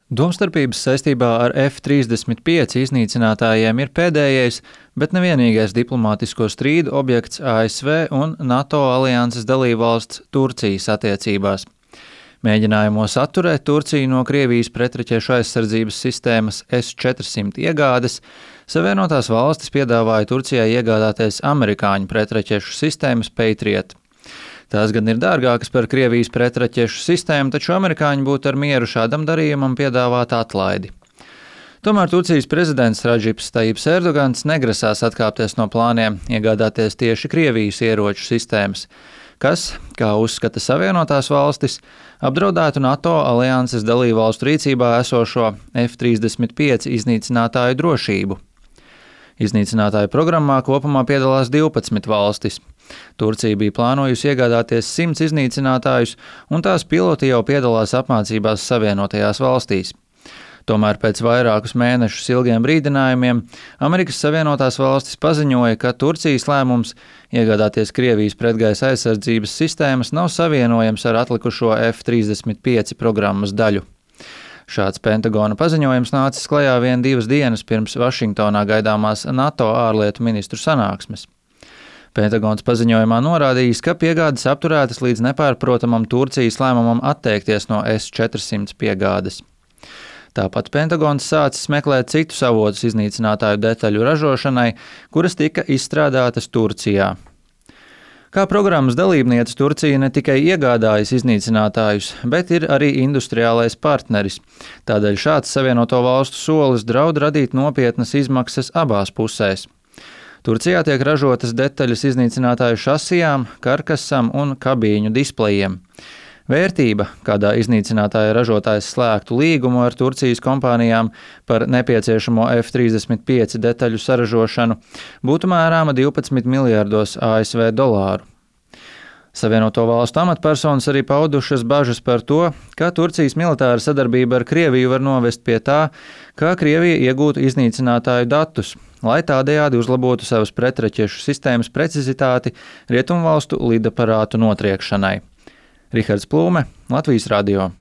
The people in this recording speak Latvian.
Domstarpības saistībā ar F-35 iznīcinātājiem ir pēdējais, bet nevienīgais diplomātisko strīdu objekts ASV un NATO alianses dalībvalsts Turcijas attiecībās. Mēģinājumos atturēt Turciju no Krievijas pretraķešu aizsardzības sistēmas S-400 iegādes, Savienotās valstis piedāvāja Turcijai iegādāties amerikāņu pretraķešu sistēmas Patriot. Tās gan ir dārgākas par Krievijas pretraķešu sistēmu, taču amerikāņi būtu ar mieru šādam darījumam piedāvāt atlaidi. Tomēr Turcijas prezidents Radžips Tajips Erdogans negrasās atkāpties no plāniem iegādāties tieši Krievijas ieroču sistēmas, kas, kā uzskata Savienotās valstis, apdraudētu NATO alianses dalībvalstu rīcībā esošo F-35 iznīcinātāju drošību. Iznīcinātāju programmā kopumā piedalās 12 valstis. Turcija bija plānojusi iegādāties 100 iznīcinātājus, un tās piloti jau piedalās apmācībās Savienotajās valstīs. Tomēr pēc vairākus mēnešus ilgiem brīdinājumiem Amerikas Savienotās valstis paziņoja, ka Turcijas lēmums iegādāties Krievijas pretgaisa aizsardzības sistēmas nav savienojams ar atlikušo F-35 programmas daļu. Šāds Pentagona paziņojums nācis klajā 1-2 dienas pirms Vašingtonā gaidāmās NATO ārlietu ministru sanāksmes. Pentagons paziņojumā norādījis, ka piegādes apturētas līdz nepārprotamam Turcijas lēmumam atteikties no S-400 piegādes. Tāpat Pentagons sācis meklēt citus avotus iznīcinātāju detaļu ražošanai, kuras tika izstrādātas Turcijā. Kā programmas dalībniece Turcija ne tikai iegādājas iznīcinātājus, bet ir arī industriālais partneris. Tādēļ šāds Savienoto valstu solis draud radīt nopietnas izmaksas abās pusēs. Turcijā tiek ražotas detaļas iznīcinātāju šasijām, karkasam un kabīņu displejiem. Vērtība, kādā iznīcinātāja ražotājs slēgtu līgumu ar Turcijas kompānijām par nepieciešamo F-35 detaļu saražošanu, būtu mērāma 12 miljardos ASV dolāru. Savienoto valstu amatpersonas arī paudušas bažas par to, ka Turcijas militāra sadarbība ar Krieviju var novest pie tā, ka Krievija iegūtu iznīcinātāju datus, lai tādējādi uzlabotu savas pretraķešu sistēmas precizitāti rietumvalstu lidaparātu notriekšanai. Rihards Plūme, Latvijas radio.